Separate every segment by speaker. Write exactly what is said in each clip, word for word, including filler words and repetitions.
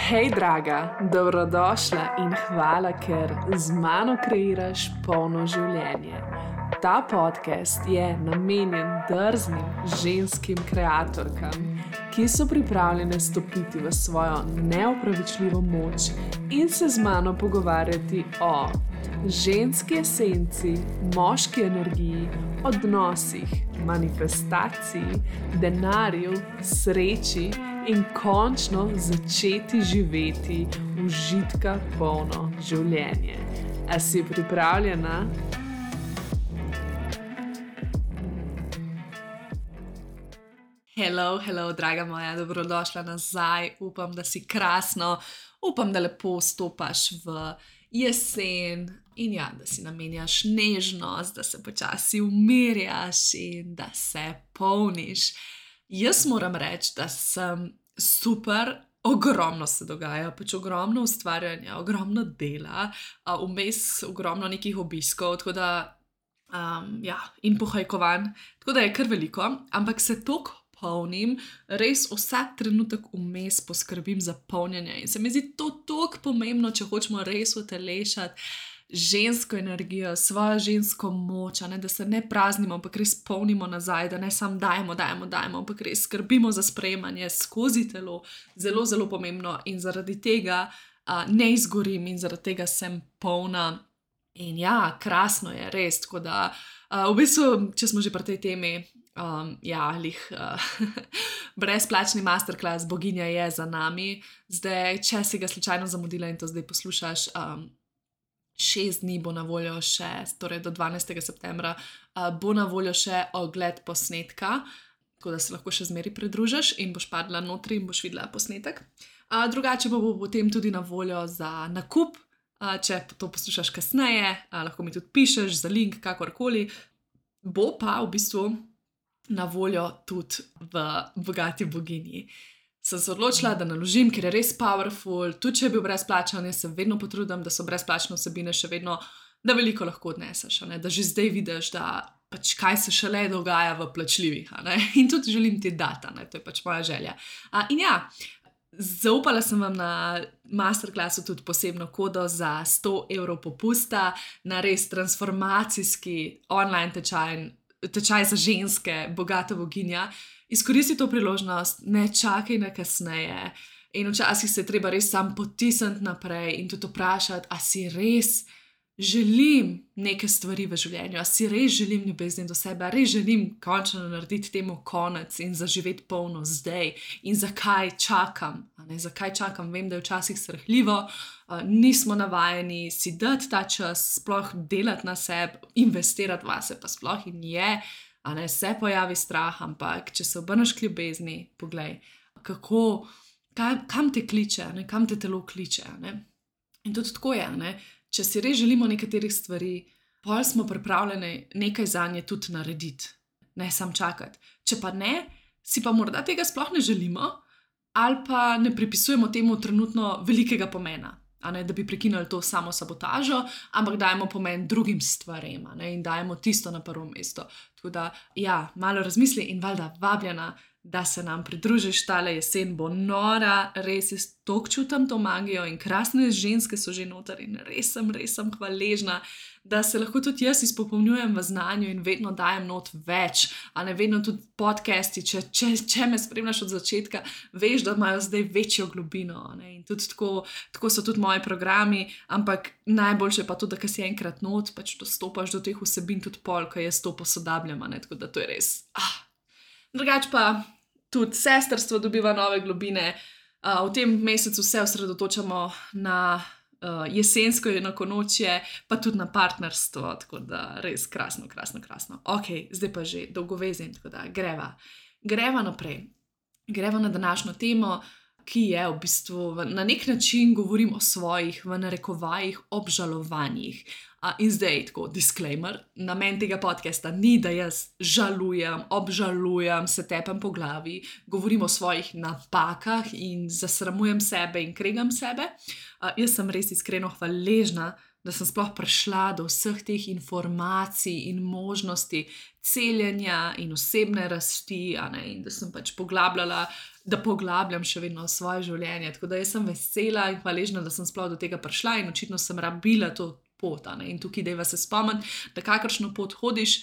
Speaker 1: Hej, draga, dobrodošla in hvala, ker z mano kreiraš polno življenje. Ta podcast je namenjen drznim ženskim kreatorkam, ki so pripravljene stopiti v svojo neopravičljivo moč in se z mano pogovarjati o ženski esenci, moški energiji, odnosih, manifestaciji, denarju, sreči in končno začeti živeti užitka polno življenje. A si pripravljena? Hello, hello, draga moja, dobrodošla nazaj. Upam, da si krasno, upam, da lepo stopaš v jesen in ja, da si namenjaš nežnost, da se počasi umirjaš in da se polniš. Jaz moram reči, da sem super, ogromno se dogaja, pač ogromno ustvarjanja, ogromno dela, vmes ogromno nekih obiskov, tako da, um, ja, in pohajkovanj, tako da je kar veliko, ampak se toliko polnim, res vsak trenutek vmes poskrbim za polnjenje in se mi zdi to toliko pomembno, če hočemo res utelešati žensko energijo, svojo žensko moč, ne, da se ne praznimo, ampak res polnimo nazaj, da ne samo dajemo, dajemo, dajemo, ampak res skrbimo za sprejemanje skozi telo, zelo, zelo pomembno in zaradi tega uh, ne izgorim in zaradi tega sem polna in ja, krasno je res, tako da uh, v bistvu, če smo že pri tej temi, um, ja, lih uh, brezplačni masterclass Boginja je za nami, zdaj, če si ga slučajno zamudila in to zdaj poslušaš, um, šest dni bo na voljo še, torej do dvanajstega septembra, uh, bo na voljo še ogled posnetka, tako da se lahko še zmeri pridružiš in boš padla notri in boš videla posnetek. Uh, drugače pa bo potem tudi na voljo za nakup, uh, če to poslušaš kasneje, uh, lahko mi tudi pišeš za link, kakorkoli. Bo pa v bistvu na voljo tudi v Bogati boginji. Sem se odločila, da naložim, ker je res powerful, tudi če je bil brezplačen, jaz se vedno potrudim, da so brezplačne vsebine še vedno, da veliko lahko odneseš, ne? Da že zdaj vidiš, da pač kaj se šele dogaja v plačljivih, ne? In tudi želim ti dati, ne? To je pač moja želja. A, in ja, zaupala sem vam na masterclassu tudi posebno kodo za sto evrov popusta na res transformacijski online tečaj, tečaj za ženske, Bogata boginja. Izkoristi to priložnost, ne čakaj na kasneje in včasih se je treba res sam potisniti naprej in tudi vprašati, a si res želim neke stvari v življenju, a si res želim ljubezni do sebe, a res želim končno narediti temu konec in zaživeti polno zdaj in zakaj čakam, a ne, zakaj čakam, vem, da je včasih srhljivo, uh, nismo navajeni si dati ta čas, sploh delati na sebi, investirati vase pa sploh in je, a ne, se pojavi strah, ampak če se obrneš k ljubezni, poglej, kako, kaj, kam te kliče, ne, kam te telo kliče, ne. In tudi tako je, ne, če si res želimo nekaterih stvari, pol smo pripravljeni nekaj zanje tudi narediti, ne sam čakati. Če pa ne, si pa morda tega sploh ne želimo, ali pa ne pripisujemo temu trenutno velikega pomena. A ne, da bi prekinili to samo sabotažo, ampak dajemo pomen drugim stvarem, a ne, in dajemo tisto na prvo mesto. Tako da, ja, malo razmisli in valjda vabljena, da se nam pridružiš, tale jesen bo nora, res jaz toliko čutim to magijo in krasne ženske so že noter in res sem, res sem hvaležna, da se lahko tudi jaz izpopolnjujem v znanju in vedno dajem not več, a ne vedno tudi podcasti, če, če, če me spremljaš od začetka, veš, da imajo zdaj večjo globino, ne, in tudi tako, tako so tudi moji programi, ampak najboljše pa to, da ko si enkrat not, pač dostopaš do teh vsebin tudi pol, ko jaz to posodabljam, ne, tako da to je res, ah. Drugač pa tudi sestrstvo dobiva nove globine, uh, v tem mesecu se osredotočamo na uh, jesensko enakonočje, pa tudi na partnerstvo, tako da res krasno, krasno, krasno. Ok, zdaj pa že dolgovezim, tako da greva. Greva naprej. Greva na današnjo temo, ki je v bistvu na nek način govorim o svojih, v narekovajih, obžalovanjih. Uh, in zdaj tako, disclaimer, namen tega podcasta ni, da jaz žalujem, obžalujem, se tepem po glavi, govorim o svojih napakah in zasramujem sebe in kregam sebe. Uh, jaz sem res iskreno hvaležna da sem sploh prišla do vseh teh informacij in možnosti celjenja in osebne rasti, a ne, in da sem pač poglabljala, da poglabljam še vedno svoje življenje. Tako da jaz sem vesela in hvaležna, da sem sploh do tega prišla in očitno sem rabila to pot, a ne. In tukaj dajva se spomniti, da kakršno pot hodiš,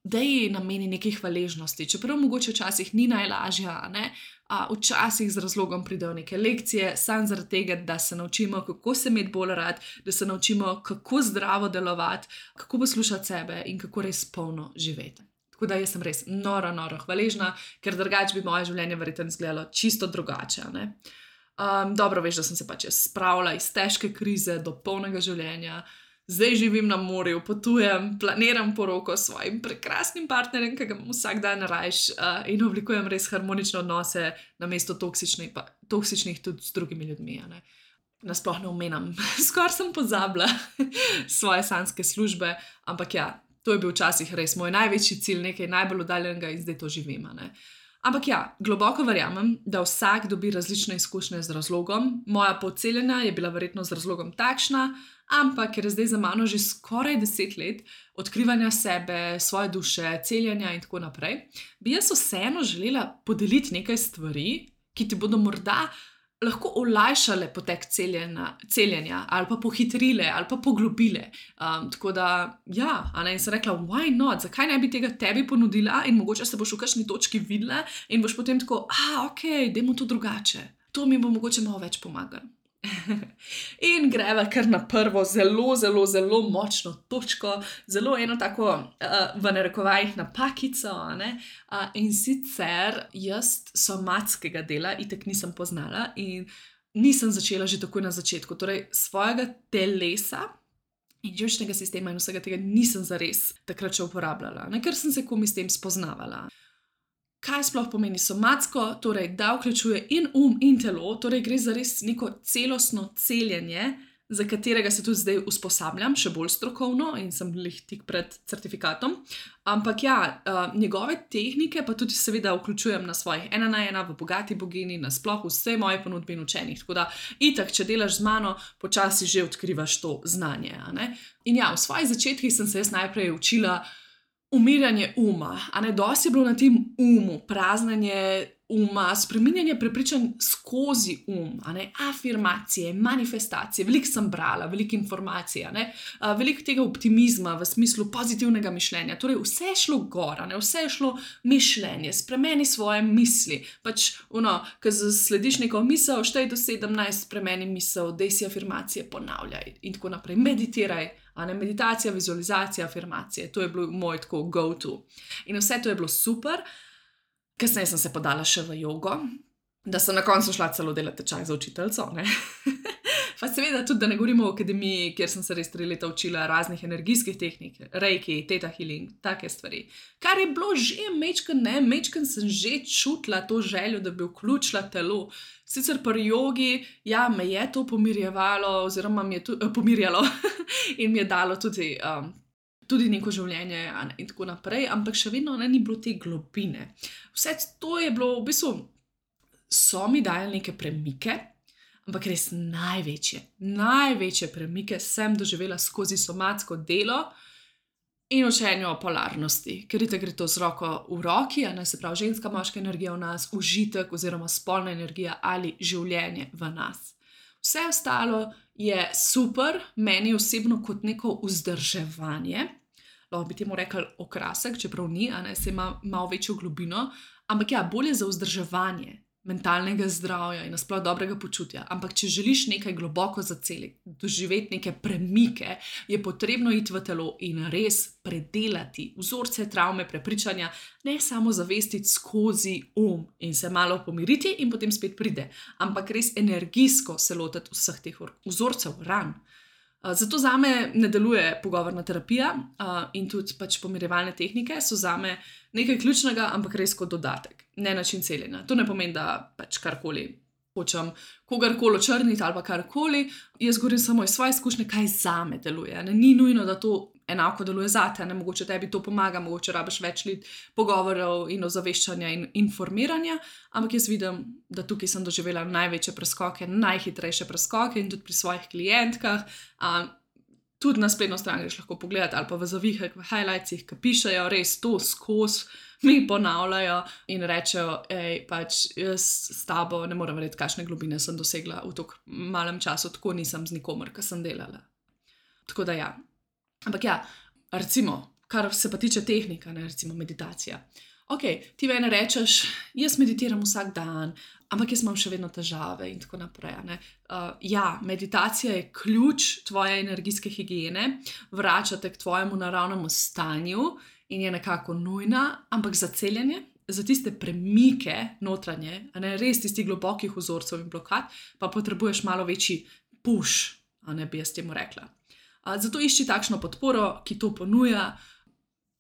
Speaker 1: da ji nameni nekaj hvaležnosti. Čeprav mogoče včasih ni najlažja, a ne, a včasih z razlogom pridejo neke lekcije, samo zaradi tega, da se naučimo, kako se imeti bolj rad, da se naučimo, kako zdravo delovati, kako poslušati sebe in kako res polno živeti. Tako da jaz sem res noro, noro hvaležna, ker drugače bi moje življenje verjetno izgledalo čisto drugače, a ne. Um, dobro veš, da sem se pač jaz spravila iz težke krize do polnega življenja. Zdaj živim na morju, potujem, planiram poroko s svojim prekrasnim partnerjem, ki ga imam vsak dan rajš, uh, in oblikujem res harmonične odnose namesto toksičnih, pa, toksičnih tudi s drugimi ljudmi, a ne. Nasploh ne omenjam, skoraj sem pozabila svoje sanjske službe, ampak ja, to je bil včasih res moj največji cilj, nekaj najbolj oddaljenega in zdaj to živim, a ne. Ampak ja, globoko verjamem, da vsak dobi različne izkušnje z razlogom. Moja pot celjenja je bila verjetno z razlogom takšna, ampak ker je zdaj za mano že skoraj deset let odkrivanja sebe, svoje duše, celjenja in tako naprej, bi jaz vseeno želela podeliti nekaj stvari, ki ti bodo morda lahko olajšale potek celjenja, celjenja ali pa pohitrile ali pa poglobile. Um, tako da, ja, a ne, in sem rekla, why not, zakaj ne bi tega tebi ponudila in mogoče se boš v kakšni točki videla in boš potem tako, a, ok, dajmo to drugače. To mi bo mogoče malo več pomagalo. In greva kar na prvo zelo, zelo, zelo močno točko, zelo eno tako uh, v narekovajih napakico, a ne, uh, in sicer jaz somatskega dela itak nisem poznala in nisem začela že takoj na začetku, torej svojega telesa in živčnega sistema in vsega tega nisem zares takrat še uporabljala, ne, ker sem se komi s tem spoznavala. Kaj sploh pomeni somatsko? Torej, da vključuje in um in telo, torej gre za res neko celostno celjenje, za katerega se tudi zdaj usposabljam, še bolj strokovno in sem lih tik pred certifikatom. Ampak ja, uh, njegove tehnike pa tudi seveda vključujem na svojih ena na ena, v Bogati bogini, nasploh vse moje ponudbe in učenjih. Tako da itak, če delaš z mano, počasi že odkrivaš to znanje, a ne? In ja, v svojih začetkih sem se jaz najprej učila umirjanje uma, a ne, dosti je bilo na tem umu, praznjenje uma, spreminjanje prepričanj skozi um, a ne, afirmacije, manifestacije, veliko sem brala, veliko informacij, a ne, a, veliko tega optimizma v smislu pozitivnega mišljenja, torej vse je šlo gor, a ne, vse je šlo mišljenje, spremeni svoje misli, pač, ono, ko slediš neko misel, štej do sedemnajst, spremeni misel, dej si afirmacije, ponavljaj in tako naprej, meditiraj, a ne, meditacija, vizualizacija, afirmacije, to je bilo moj tako go-to. In vse to je bilo super. Kasneje sem se podala še v jogo, da sem na koncu šla celo delati tečaj za učiteljico, ne. Pa seveda tudi, da ne govorimo o akademiji, kjer sem se res tri leta učila raznih energijskih tehnik, reiki, theta healing, take stvari. Kar je bilo že mečken, ne, mečken sem že čutila to željo, da bi vključila telo. Sicer pri jogi, ja, me je to pomirjevalo, oziroma mi je tudi pomirjalo in mi je dalo tudi, um, tudi neko življenje in tako naprej, ampak še vedno ne, ni bilo te globine. Vse to je bilo, v bistvu, so mi dajali neke premike, ampak res največje, največje premike sem doživela skozi somatsko delo in učenje o polarnosti, ker itak gre to z roko v roki, a ne, se pravi ženska, moška energija v nas, užitek oziroma spolna energija ali življenje v nas. Vse ostalo je super, meni osebno kot neko vzdrževanje, lahko bi temu rekli okrasek, čeprav ni, a ne, se ima malo večjo globino, ampak ja, bolje za vzdrževanje mentalnega zdravja in nasploh dobrega počutja. Ampak če želiš nekaj globoko zaceliti, doživeti neke premike, je potrebno iti v telo in res predelati vzorce, travme, prepričanja, ne samo zavestiti skozi um in se malo pomiriti in potem spet pride, ampak res energijsko se lotiti vseh teh vzorcev, ran. Zato zame ne deluje pogovorna terapija in tudi pač pomirjevalne tehnike so zame nekaj ključnega, ampak res kot dodatek, ne način celjenja. To ne pomeni, da pač karkoli hočem kogarkoli očrniti ali pa karkoli, jaz govorim samo iz svoje izkušnje, kaj zame deluje. Ne? Ni nujno, da to enako deluje zate, ne? Mogoče tebi to pomaga, mogoče rabiš več let pogovorov in ozaveščanja in informiranja, ampak jaz vidim, da tukaj sem doživela največje preskoke, najhitrejše preskoke in tudi pri svojih klientkah. Um, tudi na spletno stran greš lahko pogledati, ali pa v zavihek, v highlightsih, ki pišejo res to skozi, mi ponavljajo in rečejo, ej, pač jaz s tabo ne morem verjeti, kakšne globine sem dosegla v tako malem času, tako nisem z nikomer, ki sem delala. Tako da ja. Ampak ja, recimo, kar se pa tiče tehnika, ne, recimo meditacija. Ok, ti meni rečeš, jaz meditiram vsak dan, ampak jaz imam še vedno težave in tako naprej. Ne? Uh, ja, meditacija je ključ tvoje energijske higiene, vrača te k tvojemu naravnemu stanju in je nekako nujna, ampak za celjenje, za tiste premike notranje, a ne, res tistih globokih vzorcev in blokad, pa potrebuješ malo večji push, a ne bi jaz temu rekla. Uh, zato išči takšno podporo, ki to ponuja.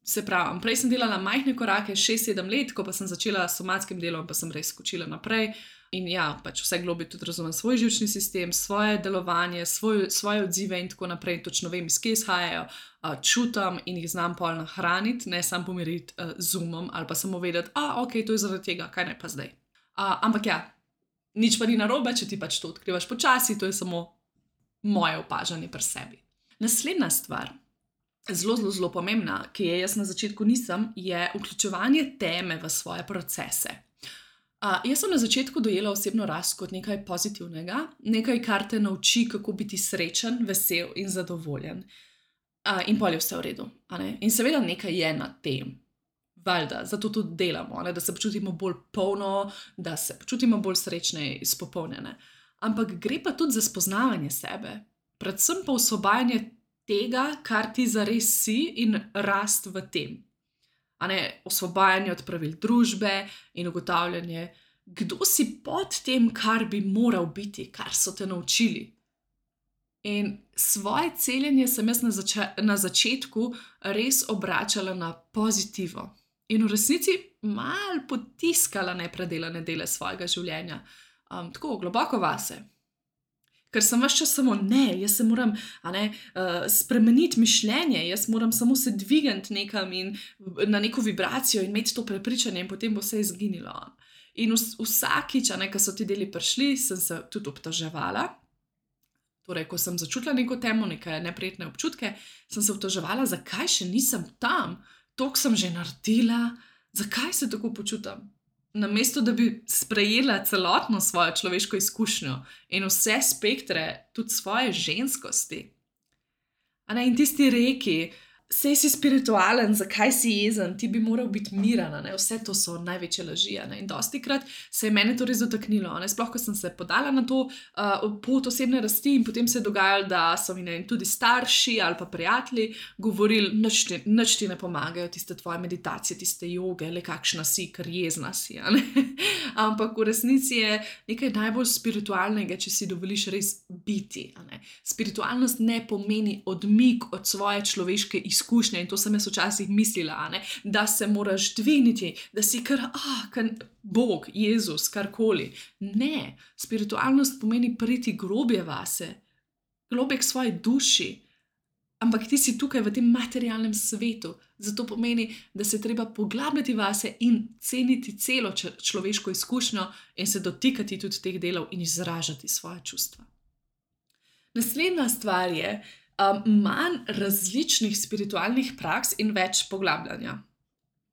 Speaker 1: Se pravi, prej sem delala majhne korake, šest sedem let, ko pa sem začela s somatskim delom, pa sem res skočila naprej. In ja, pač vse globi tudi razumem svoj živčni sistem, svoje delovanje, svoj, svoje odzive in tako naprej. Točno vem, iz kje izhajajo, uh, čutam in jih znam pol nahraniti, ne samo pomiriti uh, z umom ali pa samo vedeti, a ok, to je zaradi tega, kaj naj pa zdaj. Uh, ampak ja, nič pa ni narobe, če ti pač to odkrivaš počasi, to je samo moje opažanje pri sebi. Naslednja stvar, zelo, zelo, zelo pomembna, ki je jaz na začetku nisem, je vključevanje teme v svoje procese. Uh, jaz sem na začetku dojela osebno rast kot nekaj pozitivnega, nekaj, kar te nauči, kako biti srečen, vesel in zadovoljen. Uh, in pol je vse v redu. A ne? In seveda nekaj je na tem. Valjda, zato tudi delamo, ne? Da se počutimo bolj polno, da se počutimo bolj srečne in izpopolnjene. Ampak gre pa tudi za spoznavanje sebe, predvsem pa osvobajanje tega, kar ti zares si in rast v tem. A ne, osvobajanje od pravil družbe in ugotavljanje, kdo si pod tem, kar bi moral biti, kar so te naučili. In svoje celjenje sem jaz na, zača na začetku res obračala na pozitivo in v resnici malo potiskala nepredelane dele svojega življenja, um, tako globoko vase. Ker sem ves čas samo ne, jaz se moram a ne, uh, spremeniti mišljenje, jaz moram samo se dvigniti nekam in na neko vibracijo in imeti to prepričanje in potem bo vse izginilo. In vs vsakič, a ne, ko so ti deli prišli, sem se tudi obtoževala. Torej, ko sem začutila neko temo, neke neprijetne občutke, sem se obtoževala, zakaj še nisem tam, toliko sem že naredila, zakaj se tako počutam. Namesto, da bi sprejela celotno svojo človeško izkušnjo in vse spektre, tudi svoje ženskosti. A ne, in tisti reki, sej si spiritualen, zakaj si jezen, ti bi moral biti miran, ne? Vse to so največje laži. Ne? In dostikrat se je mene to res dotaknilo. Ne? Sploh, ko sem se podala na to uh, pot osebne rasti in potem se je dogajalo, da so mi ne, tudi starši ali pa prijatelji govorili, nič ti, nič ti ne pomagajo, tiste tvoje meditacije, tiste joge, le kakšna si, ker jezna si. Ampak v resnici je nekaj najbolj spiritualnega, če si dovoliš res biti. Ne? Spiritualnost ne pomeni odmik od svoje človeške izkušnje in to sem jaz včasih mislila, ne? Da se moraš dvigniti, da si kar, ah, kar Bog, Jezus, karkoli. Ne, spiritualnost pomeni priti globje vase, globje k svoji duši, ampak ti si tukaj v tem materialnem svetu, zato pomeni, da se treba poglabljati vase in ceniti celo človeško izkušnjo in se dotikati tudi teh delov in izražati svoje čustva. Naslednja stvar je, Um, manj različnih spiritualnih praks in več poglabljanja.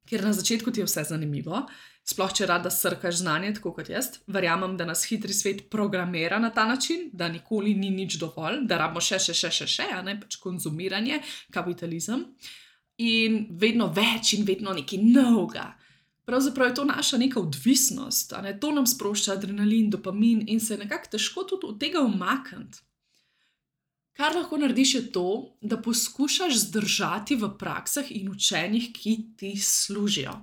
Speaker 1: Ker na začetku ti je vse zanimivo, sploh če rada srkaš znanje, tako kot jaz, verjamem, da nas hitri svet programira na ta način, da nikoli ni nič dovolj, da rabimo še, še, še, še, še, a ne pač konzumiranje, kapitalizem in vedno več in vedno nekaj novega. Pravzaprav je to naša neka odvisnost, a ne, to nam sprošča adrenalin, dopamin in se nekako težko tudi od tega umakniti. Kar lahko narediš je to, da poskušaš zdržati v praksah in učenjih, ki ti služijo.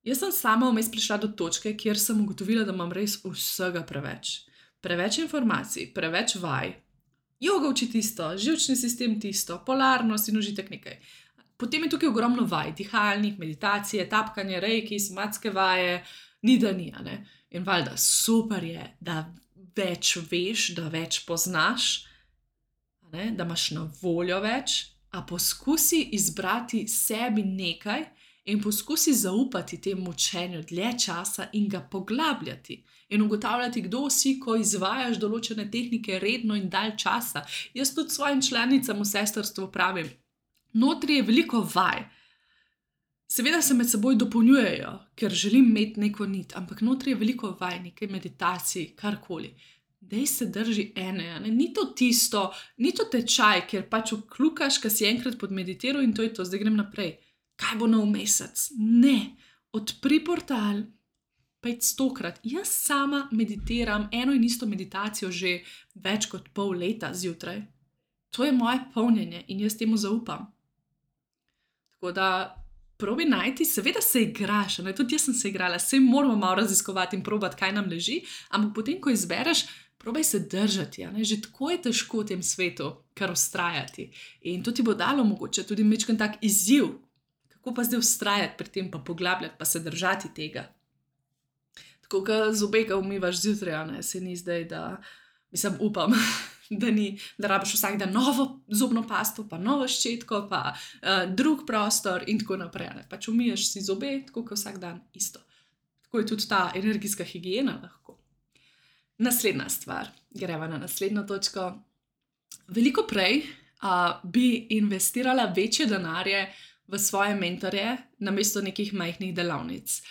Speaker 1: Jaz sem sama vmes prišla do točke, kjer sem ugotovila, da imam res vsega preveč. Preveč informacij, preveč vaj. Joga uči tisto, živčni sistem tisto, polarnost in užitek nekaj. Potem je tukaj ogromno vaj, dihalnih, meditacije, tapkanje, reiki, somatske vaje, ni da ni, a ne. In valjda, super je, da več veš, da več poznaš, da imaš na voljo več, a poskusi izbrati sebi nekaj In poskusi zaupati temu učenju dlje časa in ga poglabljati. In ugotavljati, kdo si, ko izvajaš določene tehnike redno in dalj časa. Jaz tudi svojim članicam v sestrstvu pravim, notri je veliko vaj. Seveda se med seboj dopolnjujejo, ker želim imeti neko nit, ampak notri je veliko vaj, nekaj meditacij, karkoli. Dej se drži ene, ne? Ni to tisto, ni to tečaj, kjer pač vklukaš, ka si enkrat podmeditiral in to je to, zdaj grem naprej. Kaj bo nov mesec? Ne, odpri portal, petstokrat. Jaz sama meditiram eno in isto meditacijo že več kot pol leta zjutraj. To je moje polnjenje in jaz temu zaupam. Tako da probi najti, seveda se igraš, ne? Tudi jaz sem se igrala, saj moramo malo raziskovati in probati, kaj nam leži, ampak potem, ko izbereš, probaj se držati, ne? Že tako je težko v tem svetu, kar vztrajati. In to ti bo dalo mogoče tudi majčken tak izziv, kako pa zdaj vztrajati pri tem, pa poglabljati, pa se držati tega. Tako, ko zobe ga umivaš zjutraj, ne? Se ni zdaj, da, mislim, upam, da ni, da rabiš vsak dan novo zobno pasto, pa novo ščetko, pa uh, drug prostor in tako naprej. Ne? Pač umiješ si zobe, tako kot vsak dan isto. Tako je tudi ta energijska higiena lahko. Naslednja stvar, greva na naslednjo točko. Veliko prej uh, bi investirala večje denarje v svoje mentorje, namesto nekih majhnih delavnic.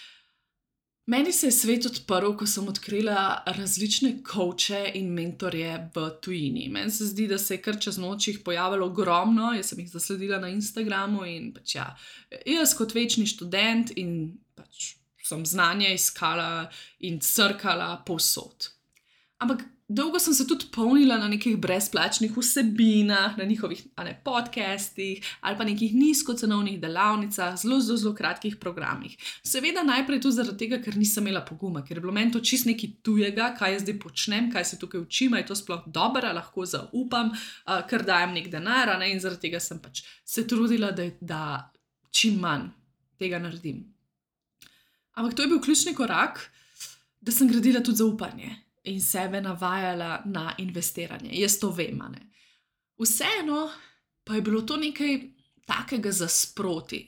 Speaker 1: Meni se je svet odprl, ko sem odkrila različne coache in mentorje v tujini. Meni se zdi, da se je kar čez noč jih pojavilo ogromno, jaz sem jih zasledila na Instagramu in pač ja, jaz kot večni študent in pač sem znanje iskala in crkala povsod. Ampak dolgo sem se tudi polnila na nekih brezplačnih vsebinah, na njihovih ne, podcastih ali pa nekih nizkocenovnih delavnicah, zelo, zelo, zelo kratkih programih. Seveda najprej tu zaradi tega, ker nisem imela poguma, ker je bilo meni to čist nekaj tujega, kaj jaz zdaj počnem, kaj se tukaj učim, je to sploh dobro, lahko zaupam, uh, ker dajem nek denar, ne, in zaradi tega sem pač se trudila, da, da čim manj tega naredim. Ampak to je bil ključni korak, da sem gradila tudi zaupanje in sebe navajala na investiranje. Jaz to vem, ne. Vseeno pa je bilo to nekaj takega za sproti.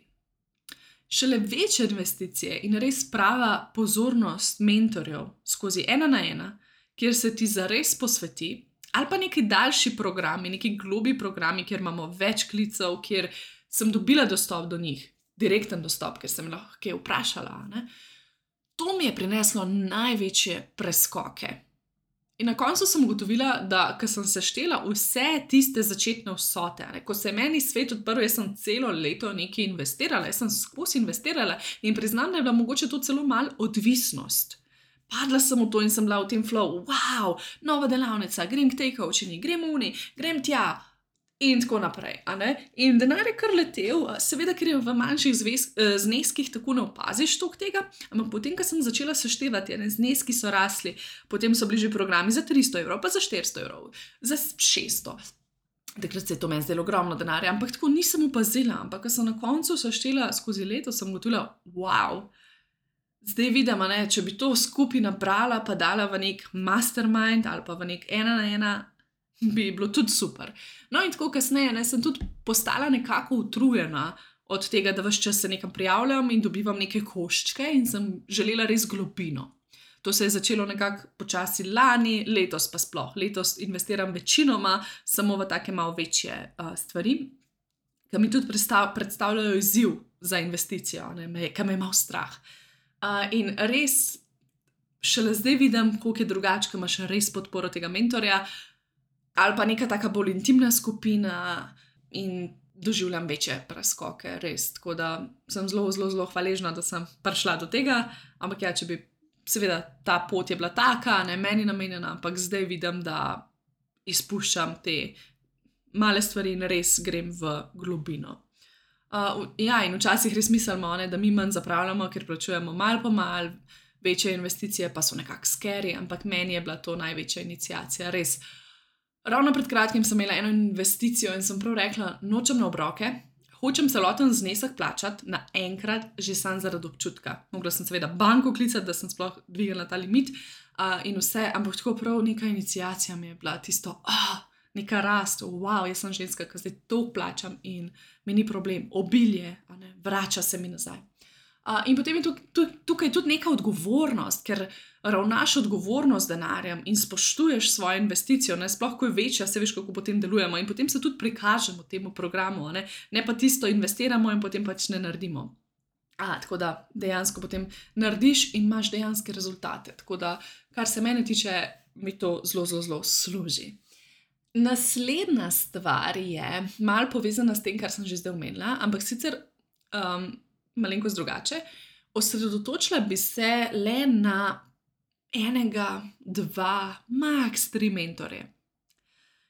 Speaker 1: Šele večje investicije in res prava pozornost mentorjev skozi ena na ena, kjer se ti zares posveti, ali pa neki daljši programi, neki globi programi, kjer imamo več klicev, kjer sem dobila dostop do njih, direkten dostop, ker sem lahko kaj vprašala, ne. To mi je prineslo največje preskoke. In na koncu sem ugotovila, da ko sem seštela vse tiste začetne vsote, ne, ko se je meni svet odprl, jaz sem celo leto nekaj investirala, jaz sem skozi investirala in priznam, da je bila mogoče to celo malo odvisnost. Padla sem v to in sem bila v tem flow, wow, nova delavnica, grem k tej coachini, grem uni, grem tja in tako naprej. A ne? In denar je kar letel, seveda, ker je v manjših zvez, zneskih tako ne opaziš toliko tega, ampak potem, ko sem začela seštevati, ne, zneski so rasli, potem so bili že programi za tristo evrov, pa za štiristo evrov, za šeststo. Takrat se je to meni zdelo ogromno denarja, ampak tako nisem opazila, ampak ko sem na koncu seštela skozi leto, sem ugotovila, wow, zdaj vidim, ne, če bi to skupaj nabrala, pa dala v nek mastermind ali pa v nek ena na ena, bi bilo tudi super. No in tako kasneje, ne, sem tudi postala nekako utrujena od tega, da ves čas se nekam prijavljam in dobivam neke koščke in sem želela res globino. To se je začelo nekako počasi lani, letos pa sploh. Letos investiram večinoma samo v take malo večje uh, stvari, ki mi tudi predstav, predstavljajo izziv za investicijo, ne, me, ki me je malo strah. Uh, in res šele zdaj vidim, koliko je drugače, ko imaš res podporo tega mentorja, ali pa neka taka bolj intimna skupina in doživljam večje preskoke, res. Tako da sem zelo, zelo, zelo hvaležna, da sem prišla do tega, ampak ja, če bi, seveda, ta pot je bila taka, ne meni namenjena, ampak zdaj vidim, da izpuščam te male stvari in res grem v globino. Uh, ja, in včasih res mislimo, ne, da mi manj zapravljamo, ker plačujemo malo po malo, večje investicije pa so nekako scary, ampak meni je bila to največja iniciacija, res. Ravno pred kratkim sem imela eno investicijo in sem prav rekla, nočem na obroke, hočem celoten znesek plačati naenkrat, že sam zaradi občutka. Mogla sem seveda banko klicati, da sem sploh dvignila ta limit uh, in vse, ampak tako prav neka iniciacija mi je bila tisto, ah, neka rast, wow, jaz sem ženska, ki zdaj to plačam in mi ni problem, obilje, a ne, vrača se mi nazaj. Uh, in potem je tukaj, tukaj tudi neka odgovornost, ker ravnaš odgovorno z denarjem in spoštuješ svojo investicijo, ne, sploh ko je večja, se veš, kako potem delujemo in potem se tudi prikažemo temu programu, ne, ne pa tisto investiramo in potem pač ne naredimo. A, tako da dejansko potem narediš in imaš dejanske rezultate. Tako da, kar se mene tiče, mi to zelo, zelo, zelo služi. Naslednja stvar je malo povezana s tem, kar sem že zdaj omenila, ampak sicer um, malenkost drugače. Osredotočila bi se le na enega, dva, max tri mentorje.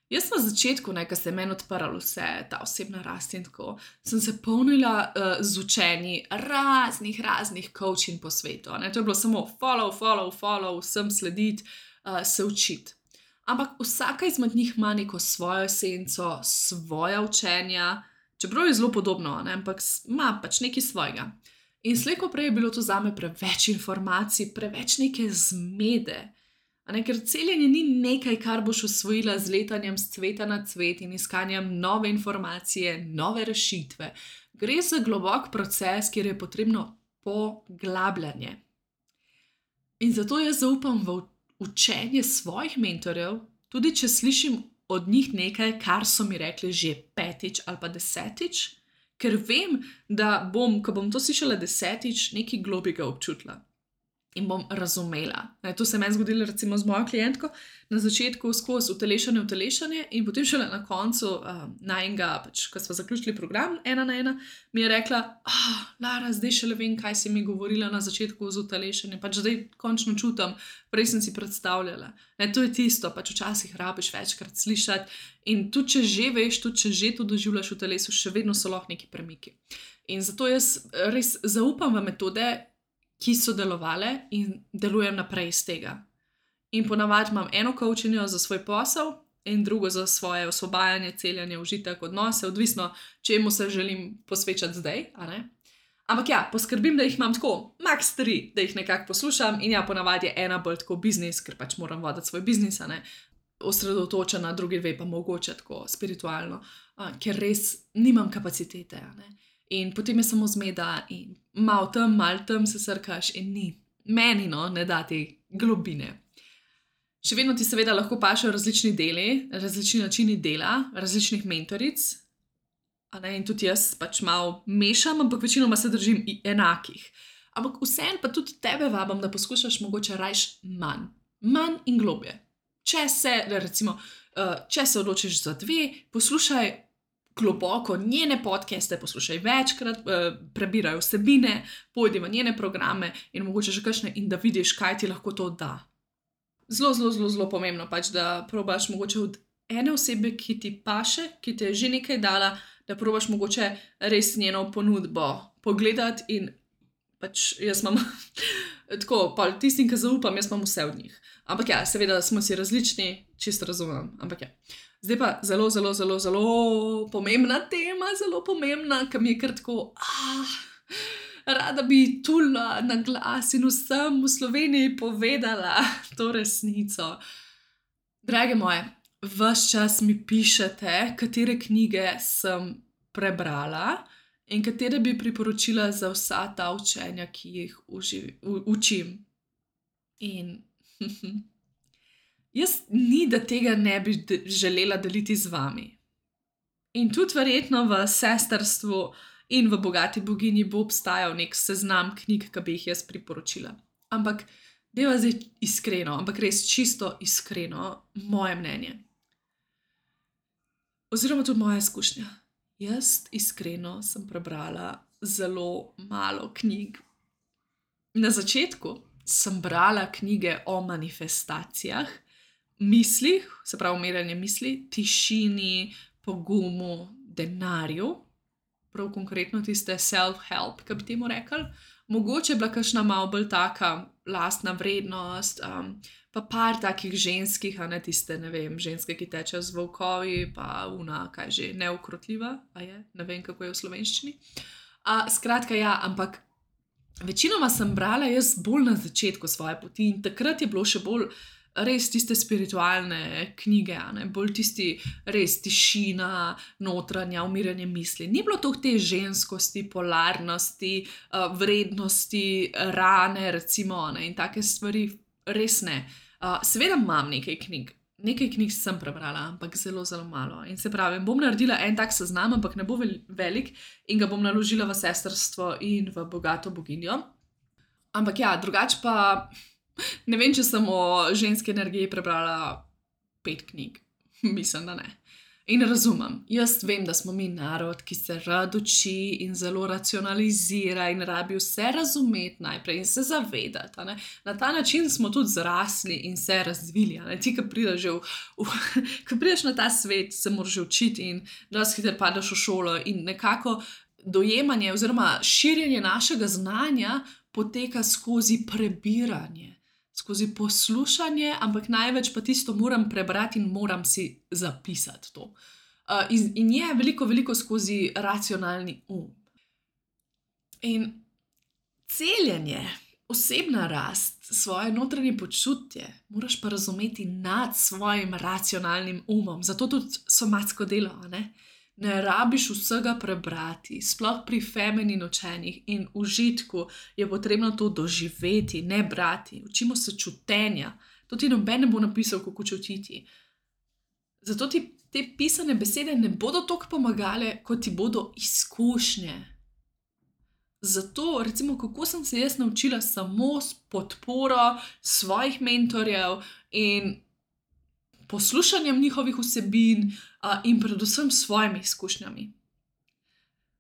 Speaker 1: Jaz na začetku, ne, ko se je meni odprlo vse, ta osebna rast in tako, sem se polnila uh, z učenji raznih, raznih coaching po svetu. Ne. To je bilo samo follow, follow, follow, vsem slediti, uh, se učiti. Ampak vsaka izmed njih ima neko svojo esenco, svoja učenja, čeprav je zelo podobno, ne, ampak ima pač nekaj svojega. In slej ko prej je bilo to zame preveč informacij, preveč neke zmede. Ne, ker celjenje ni nekaj, kar boš osvojila z letanjem z cveta na cvet in iskanjem nove informacije, nove rešitve. Gre za globok proces, kjer je potrebno poglabljanje. In zato jaz zaupam v učenje svojih mentorjev, tudi če slišim od njih nekaj, kar so mi rekli že petič ali pa desetič, ker vem, da bom, ko bom to slišala desetič, nekaj globjega občutila. In bom razumela. Ne, to se je meni zgodilo recimo z mojo klientko, na začetku skozi utelešanje, utelešanje in potem šele na koncu uh, najnega, pač, ko smo zaključili program ena na ena, mi je rekla, ah, Lara, zdaj šele vem, kaj si mi govorila na začetku z utelešanjem, pač zdaj končno čutim, prej sem si predstavljala. Ne, to je tisto, pač včasih rabiš večkrat slišati in tudi če že veš, tudi če že to doživljaš v telesu, še vedno so lahko neki premiki. In zato jaz res zaupam v metode, ki so delovale in delujem naprej iz tega. In ponavadi imam eno coachinjo za svoj posel in drugo za svoje osvobajanje, celjanje, užitek, odnose, odvisno, čemu se želim posvečati zdaj, a ne? Ampak ja, poskrbim, da jih imam tako, max tri, da jih nekako poslušam in ja, ponavadi je ena bolj tako biznis, ker pač moram voditi svoj biznis, a ne? Osredotočena, drugi dve pa mogoče tako spiritualno, a, ker res nimam kapacitete, a ne? In potem je samo zmeda in malo tam, malo tam se srkaš in ni. Meni no, ne da te globine. Še vedno ti seveda lahko pašejo različni deli, različni načini dela, različnih mentoric. A ne, in tudi jaz pač malo mešam, ampak večinoma se držim enakih. Ampak vseeno pa tudi tebe vabam, da poskušaš mogoče rajš manj. Manj in globje. Če se, recimo, če se odločiš za dve, poslušaj globoko njene podcaste, poslušaj večkrat, prebiraj vsebine, pojdi v njene programe in mogoče že kakšne in da vidiš, kaj ti lahko to da. Zelo, zelo, zelo, zelo pomembno pač, da probaš mogoče od ene osebe, ki ti paše, ki ti je že nekaj dala, da probaš mogoče res njeno ponudbo pogledati in pač jaz imam tako, pa tistim, ki zaupam, jaz imam vse od njih. Ampak ja, seveda smo si različni, čisto razumem, ampak ja. Zdaj pa zelo, zelo, zelo, zelo pomembna tema, zelo pomembna, ki mi je kar tako, ah, rada bi tula na glas in vsem v Sloveniji povedala to resnico. Drage moje, ves čas mi pišete, katere knjige sem prebrala in katere bi priporočila za vsa ta učenja, ki jih uživ, u, učim. In jaz ni, da tega ne bi de- želela deliti z vami. In tudi verjetno v sestrstvu in v Bogati boginji bo obstajal nek seznam knjig, ki bi jih jaz priporočila. Ampak deva zdaj iskreno, ampak res čisto iskreno, moje mnenje. Oziroma tudi moja izkušnja. Jaz iskreno sem prebrala zelo malo knjig. Na začetku sem brala knjige o manifestacijah, mislih, se pravi umirjanje misli, tišini, pogumu, denarju, prav konkretno tiste self-help, ki bi temu rekli. Mogoče je bila kakšna malo bolj taka lastna vrednost, um, pa par takih ženskih, a ne tiste, ne vem, ženske, ki tečejo z volkovi, pa una, kaj že, neukrotljiva, a je, ne vem, kako je v slovenščini. A, skratka, ja, ampak večinoma sem brala jaz bolj na začetku svoje poti in takrat je bilo še bolj res tiste spiritualne knjige, ne? Bolj tisti res tišina, notranja, umirjanje misli. Ni bilo toliko te ženskosti, polarnosti, uh, vrednosti, rane, recimo, ne? In take stvari res ne. Uh, seveda imam nekaj knjig, nekaj knjig sem prebrala, ampak zelo, zelo malo. In se pravi, bom naredila en tak seznam, ampak ne bo velik in ga bom naložila v sestrstvo in v bogato boginjo. Ampak ja, drugače pa ne vem, če sem o ženski energiji prebrala pet knjig. Mislim, da ne. In razumem, jaz vem, da smo mi narod, ki se rad uči in zelo racionalizira in rabi vse razumeti najprej in se zavedati. A ne? Na ta način smo tudi zrasli in se razvili. A ne? Ti, ko prideš, že v, v, ko prideš na ta svet, se moraš že učiti in dosti hitro padeš v šolo in nekako dojemanje oziroma širjenje našega znanja poteka skozi prebiranje. Skozi poslušanje, ampak največ pa tisto moram prebrati in moram si zapisati to. Uh, in, in je veliko, veliko skozi racionalni um. In celjenje, osebna rast, svoje notranje počutje, moraš pa razumeti nad svojim racionalnim umom. Zato tudi somatsko delo, a ne? Ne rabiš vsega prebrati, sploh pri feminin učenjih in užitku je potrebno to doživeti, ne brati. Učimo se čutenja. To ti noben ne bo napisal, kako čutiti. Zato ti te pisane besede ne bodo toliko pomagale, kot ti bodo izkušnje. Zato, recimo, kako sem se jaz naučila samo s podporo svojih mentorjev in poslušanjem njihovih vsebin uh, in predvsem svojimi izkušnjami.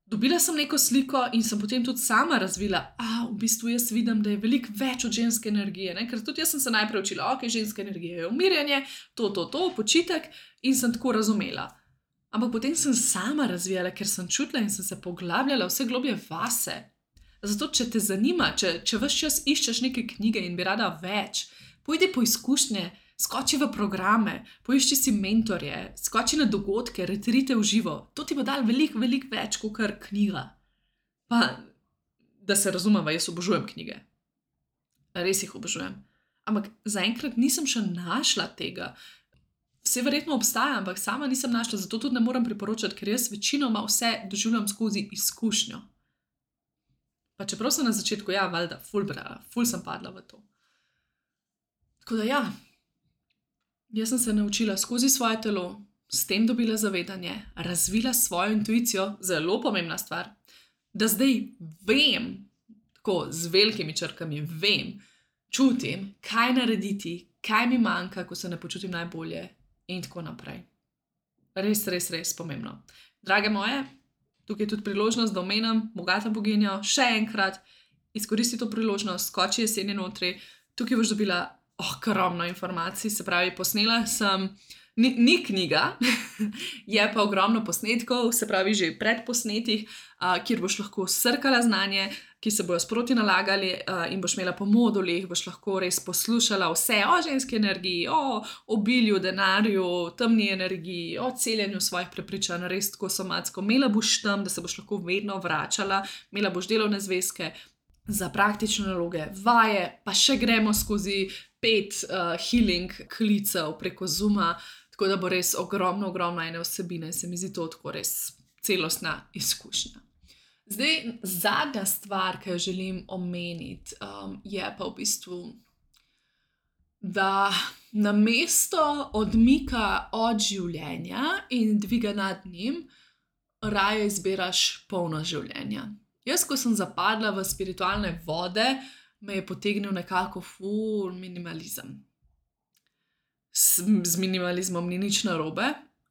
Speaker 1: Dobila sem neko sliko in sem potem tudi sama razvila, a v bistvu jaz vidim, da je veliko več od ženske energije, ne? Ker tudi jaz sem se najprej učila, ok, ženska energija je umirjanje, to, to, to, počitek in sem tako razumela. Ampak potem sem sama razvijala, ker sem čutila in sem se poglabljala vse globlje vase. Zato, če te zanima, če, če ves čas iščeš neke knjige in bi rada več, pojdi po izkušnje, skoči v programe, poišči si mentorje, skoči na dogodke, retrite v živo. To ti bo dal veliko, veliko več kot kar knjiga. Pa, da se razumeva, jaz obožujem knjige. Res jih obožujem. Ampak zaenkrat nisem še našla tega. Vse verjetno obstaja, ampak sama nisem našla, zato tudi ne morem priporočati, ker jaz večinoma vse doživljam skozi izkušnjo. Pa čeprav sem na začetku, ja, valjda, ful brala, ful sem padla v to. Tako da ja, jaz sem se naučila skozi svoje telo, s tem dobila zavedanje, razvila svojo intuicijo, zelo pomembna stvar, da zdaj vem, tako z velikimi črkami vem, čutim, kaj narediti, kaj mi manjka, ko se ne počutim najbolje in tako naprej. Res, res, res pomembno. Drage moje, tukaj je tudi priložnost, da omenim bogato boginjo, še enkrat, izkoristi to priložnost, skoči jesenje notri, tukaj boš dobila ogromno informacij, se pravi, posnela sem, ni, ni knjiga, je pa ogromno posnetkov, se pravi, že predposnetih, uh, kjer boš lahko srkala znanje, ki se bojo sproti nalagali uh, in boš imela po modulih, boš lahko res poslušala vse o ženski energiji, o obilju, denarju, temni energiji, o celjenju svojih prepričanj, res tako somatsko. Imela boš tam, da se boš lahko vedno vračala, imela boš delovne zvezke za praktične naloge, vaje, pa še gremo skozi pet uh, healing klicev preko Zooma, tako da bo res ogromno, ogromno ene vsebine, se mi zdi to tako res celostna izkušnja. Zdaj, zadnja stvar, ki jo želim omeniti, um, je pa v bistvu, da namesto odmika od življenja in dviga nad njim, raje izbiraš polno življenja. Jaz, ko sem zapadla v spiritualne vode, me je potegnil nekako ful minimalizem. S, z minimalizmom ni nič narobe,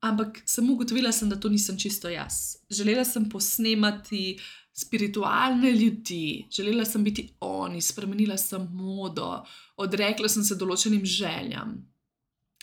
Speaker 1: ampak sem ugotovila, sem, da to nisem čisto jaz. Želela sem posnemati spiritualne ljudi, želela sem biti oni, spremenila sem modo, odrekla sem se določenim željam.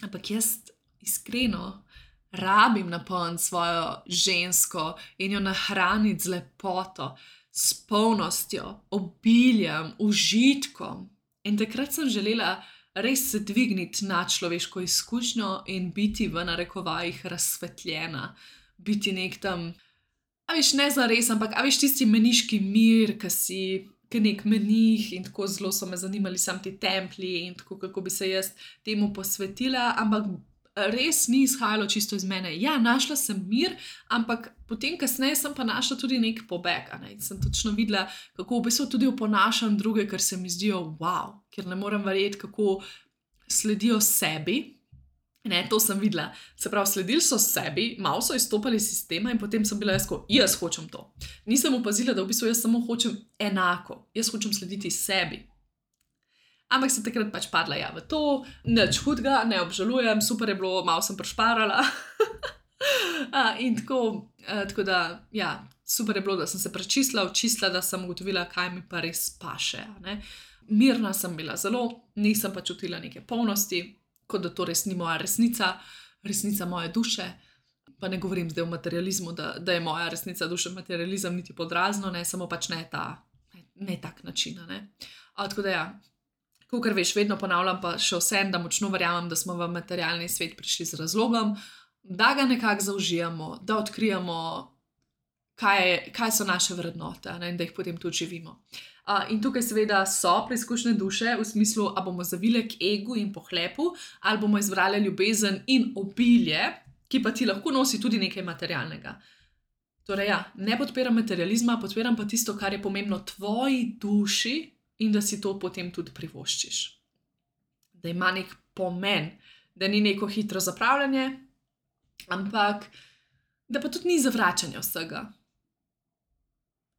Speaker 1: Ampak jaz iskreno rabim napolniti svojo žensko in jo nahraniti z lepoto, s polnostjo, obiljem, užitkom. In takrat sem želela res se dvigniti na človeško izkušnjo in biti v narekovajih razsvetljena, biti nek tam, a veš, ne zares, ampak a veš tisti meniški mir, ki si kot nek menih in tako zelo so me zanimali sam ti templji in tako, kako bi se jaz temu posvetila, ampak res ni izhajalo čisto iz mene. Ja, našla sem mir, ampak potem kasneje sem pa našla tudi nek pobeg. Ne? Sem točno videla, kako v bistvu tudi oponašam druge, ker se mi zdijo wow, ker ne morem verjeti, kako sledijo sebi. Ne, to sem videla. Se pravi, sledili so sebi, malo so izstopali iz sistema in potem sem bila jaz, ko jaz hočem to. Nisem opazila, da v bistvu jaz samo hočem enako. Jaz hočem slediti sebi. Ampak sem takrat pač padla ja v to, nič hudega, ne obžalujem, super je bilo, malo sem prešparala. in tako, tako da, ja, super je bilo, da sem se prečistila, očistila, da sem ugotovila, kaj mi pa res paše. Ne. Mirna sem bila zelo, nisem pa čutila neke polnosti, kot da to res ni moja resnica, resnica moje duše. Pa ne govorim zdaj o materializmu, da, da je moja resnica duše materializem, niti podrazno, ne, samo pač ne ta, ne, ne tak način. Ne. A, tako da ja, kakor veš, vedno ponavljam pa še vsem, da močno verjamem, da smo v materialni svet prišli z razlogom, da ga nekako zaužijemo, da odkrijemo, kaj, je, kaj so naše vrednote, ne, in da jih potem tudi živimo. Uh, in tukaj seveda so preizkušnje duše v smislu, a bomo zavile k egu in pohlepu, ali bomo izbrali ljubezen in obilje, ki pa ti lahko nosi tudi nekaj materialnega. Torej ja, ne podpiram materializma, podpiram pa tisto, kar je pomembno tvoji duši in da si to potem tudi privoščiš. Da ima nek pomen, da ni neko hitro zapravljanje, ampak da pa tudi ni zavračanja vsega.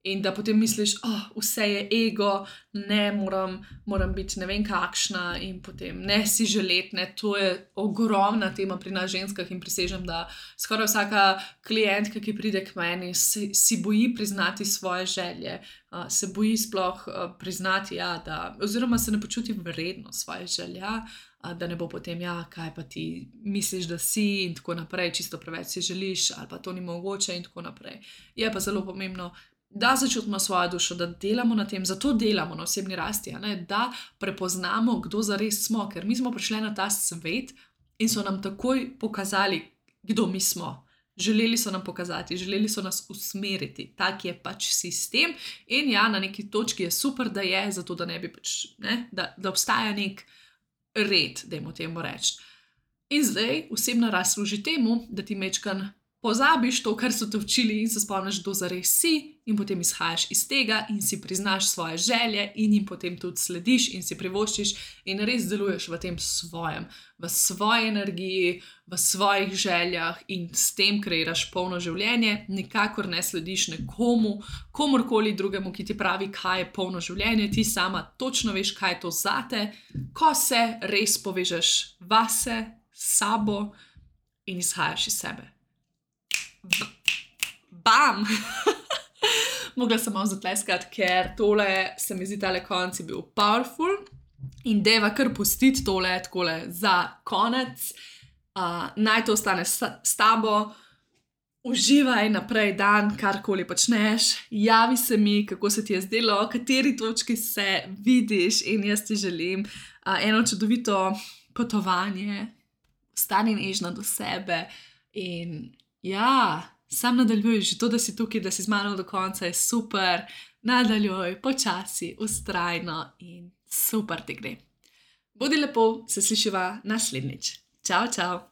Speaker 1: In da potem misliš, oh, vse je ego, ne, moram, moram biti ne vem kakšna in potem ne si želeti, ne, to je ogromna tema pri nas ženskah in prisežem, da skoraj vsaka klientka, ki pride k meni, si, si boji priznati svoje želje, uh, se boji sploh uh, priznati, ja, da, oziroma se ne počuti vredno svoje želja, uh, da ne bo potem, ja, kaj pa ti misliš, da si in tako naprej, čisto preveč si želiš ali pa to ni mogoče in tako naprej. Je pa zelo pomembno, da začutimo svojo dušo, da delamo na tem, zato delamo na osebni rasti, ne? Da prepoznamo, kdo zares smo, ker mi smo prišli na ta svet in so nam takoj pokazali, kdo mi smo. Želeli so nam pokazati, želeli so nas usmeriti, tak je pač sistem in ja, na neki točki je super, da je, zato da ne bi pač, ne? Da, da obstaja nek red, dajmo temu reči. In zdaj osebna rast služi temu, da ti mečkan pozabiš to, kar so te učili in se spomniš, kdo zares si in potem izhajaš iz tega in si priznaš svoje želje in jim potem tudi slediš in si privoščiš in res deluješ v tem svojem, v svoji energiji, v svojih željah in s tem kreiraš polno življenje, nikakor ne slediš nekomu, komorkoli drugemu, ki ti pravi, kaj je polno življenje, ti sama točno veš, kaj je to zate, ko se res povežeš vase, sabo in izhajaš iz sebe. Bam! Mogla sem malo zatleskati, ker tole se mi zdi tale konc je bil powerful in deva kar pustiti tole takole za konec. Uh, naj to ostane s, s tabo, uživaj naprej dan, karkoli počneš, javi se mi, kako se ti je zdelo, v kateri točki se vidiš in jaz ti želim uh, eno čudovito potovanje, stani nežna do sebe in ja, sam nadaljuj, že to, da si tukaj, da si z mano do konca je super, nadaljuj, počasi, vztrajno in super ti gre. Bodi lepo, se slišiva naslednjič. Čau, čau.